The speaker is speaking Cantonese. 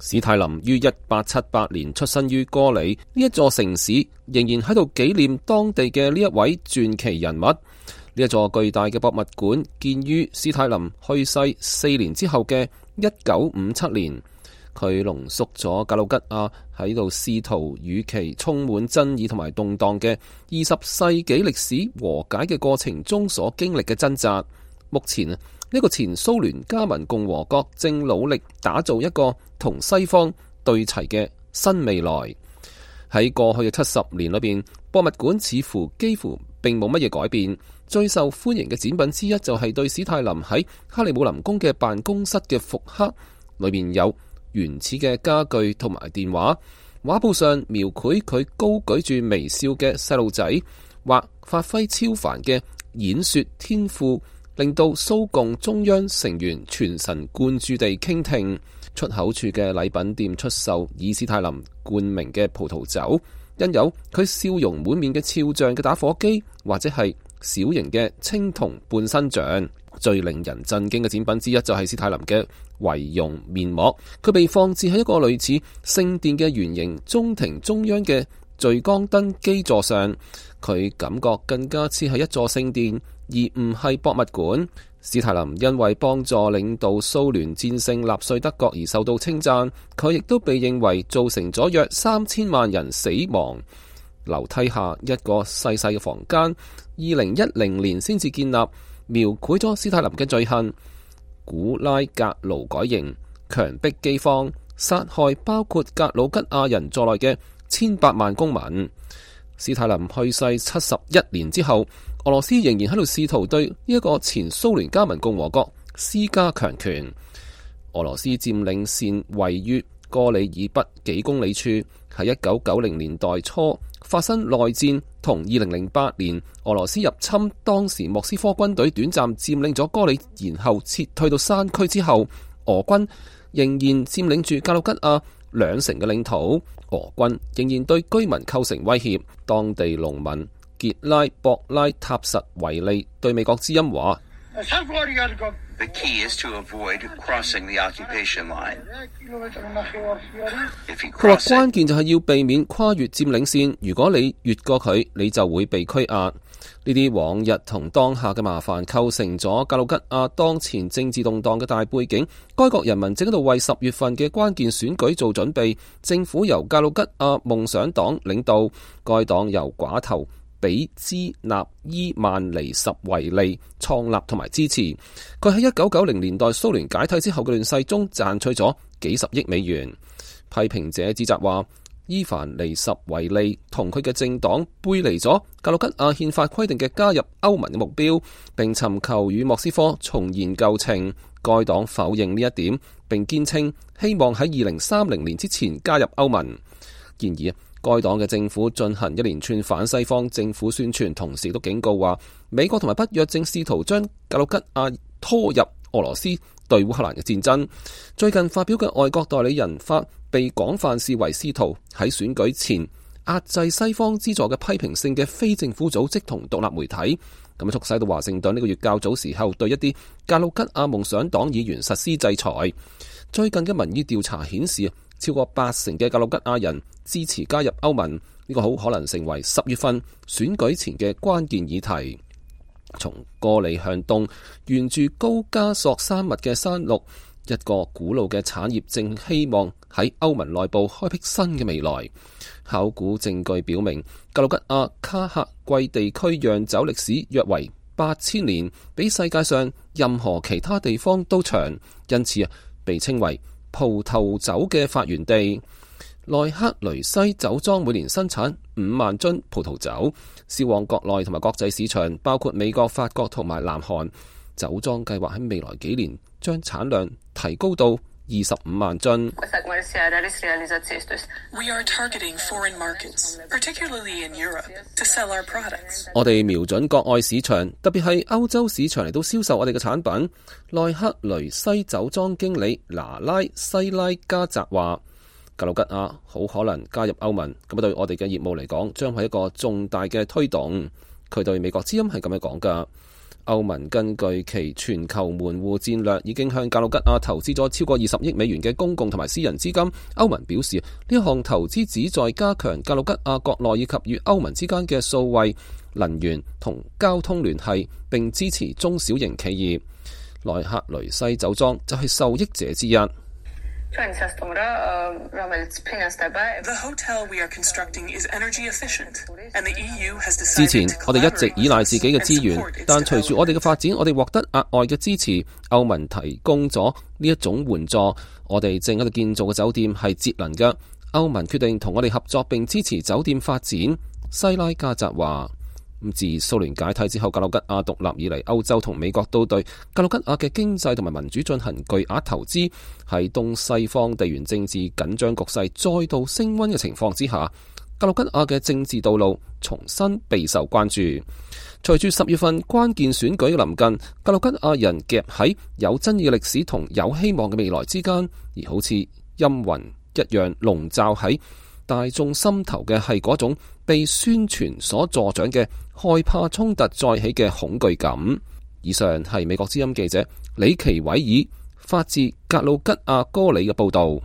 史泰林於1878年出生於哥里，呢一座城市仍然喺度紀念當地嘅呢一位傳奇人物。呢一座巨大嘅博物館建於史泰林去世4年之後嘅1957年。佢濃縮咗格魯吉亞喺度試圖與其充滿爭議同埋動盪嘅20世紀歷史和解嘅過程中所經歷嘅掙扎。目前呢個前蘇聯加盟共和國正努力打造一個同西方對齊嘅新未來。喺過去嘅70年裏邊，博物館似乎幾乎並冇乜嘢改變。最受歡迎嘅展品之一就係對史泰林喺克里姆林宮嘅辦公室嘅復刻，裏面有原始嘅家具同埋電話，畫布上描繪佢高舉住微笑嘅細路仔，或發揮超凡嘅演說天賦，令到蘇共中央成員全神貫注地傾聽。出口處嘅禮品店出售以史泰林冠名嘅葡萄酒，印有佢笑容滿面嘅肖像嘅打火機，或者係小型嘅青銅半身像。最令人震驚嘅展品之一就係史泰林嘅遺容面膜，佢被放置喺一個類似聖殿嘅圓形中庭中央嘅聚光燈基座上，佢感覺更加似係一座聖殿，而唔係博物館。史泰林因為幫助領導蘇聯戰勝納粹德國而受到稱讚，佢亦都被認為造成咗約3000萬人死亡。樓梯下一個細細嘅房間，2010年先至建立，描繪咗史泰林嘅罪行：古拉格勞改營、強迫饑荒、殺害包括格魯吉亞人在內嘅千百萬公民。史泰林去世71年之後，俄羅斯仍然喺度試圖對呢一個前蘇聯加盟共和國施加強權。俄羅斯佔領線位於哥里以北幾公里處，喺1990年代初發生內戰，同2008年俄羅斯入侵當時莫斯科軍隊短暫佔領咗哥里，然後撤退到山區之後，俄軍仍然佔領住格魯吉亞2成嘅領土。俄軍仍然對居民構成威脅。當地農民傑拉博拉塔什維利對美國之音話：The key is to avoid crossing the occupation line. 佢話關鍵就係要避免跨越佔領線，如果你越過佢，你就會被拘押。呢啲往日同當下嘅麻煩構成咗格魯吉亞當前政治動盪嘅大背景。該國人民正喺度為10月份嘅關鍵選舉做準備。政府由格魯吉亞夢想黨領導，該黨由寡頭比茲納伊曼尼什維利創立同埋支持。佢喺1990年代蘇聯解體之後嘅亂世中賺取咗幾十億美元。批評者指責話，伊凡尼什維利同佢嘅政黨背離咗格魯吉亞憲法規定嘅加入歐盟嘅目標，並尋求與莫斯科重研舊情。該黨否認呢一點，並堅稱希望喺2030年之前加入歐盟。然而，該黨嘅政府進行一連串反西方政府宣傳，同時都警告話，美國同埋北約正試圖將格魯吉亞拖入俄羅斯對烏克蘭嘅戰爭。最近發表嘅外國代理人法被廣泛視為試圖喺選舉前壓制西方資助嘅批評性嘅非政府組織同獨立媒體，咁促使到華盛頓呢個月較早時候對一啲格魯吉亞夢想黨議員實施制裁。最近嘅民意調查顯示，超過80%嘅格魯吉亞人支持加入歐盟，呢個好可能成為10月份選舉前嘅關鍵議題。從哥里向東，沿住高加索山脈嘅山麓，一個古老嘅產業正希望喺歐盟內部開闢新嘅未來。考古證據表明，格魯吉亞卡赫季地區釀酒歷史約為8000年，比世界上任何其他地方都長，因此被稱為葡萄酒嘅發源地。內克雷西酒莊每年生產5萬樽葡萄酒，銷往國內同埋國際市場，包括美國、法國同埋南韓。酒莊計劃喺未來幾年將產量提高到25萬樽。我哋瞄準國外市場，特別係歐洲市場嚟到銷售我哋嘅產品。內克雷西酒莊經理拿拉西拉加澤話：格魯吉亞好可能加入歐盟，咁對我哋嘅業務嚟講，將係一個重大嘅推動。佢對美國之音係咁樣講噶。歐盟根據其全球門戶戰略，已經向格魯吉亞投資咗超過20億美元嘅公共同埋私人資金。歐盟表示，呢項投資旨在加強格魯吉亞國內以及與歐盟之間嘅數位、能源同交通聯繫，並支持中小型企業。萊克雷西酒莊就係受益者之一。The hotel we are constructing is energy efficient, and the EU has decided. 之前我哋一直依賴自己嘅資源，但隨住我哋嘅發展，我哋獲得額外嘅支持。歐盟提供咗呢一種援助。我哋正喺度建造嘅酒店係節能嘅。歐盟決定同我哋合作並支持酒店發展。西拉加澤話。自蘇聯解體之後，格魯吉亞獨立以嚟，歐洲同美國都對格魯吉亞嘅經濟同埋民主進行巨額投資。喺東西方地緣政治緊張局勢再度升溫嘅情況之下，格魯吉亞嘅政治道路重新備受關注。隨住10月份關鍵選舉嘅臨近，格魯吉亞人夾喺有爭議嘅歷史同有希望嘅未來之間，而好似陰雲一樣籠罩喺大眾心頭嘅係嗰種被宣傳所助長嘅害怕衝突再起嘅恐懼感。以上係美國之音記者李奇偉爾發自格魯吉亞哥里嘅報道。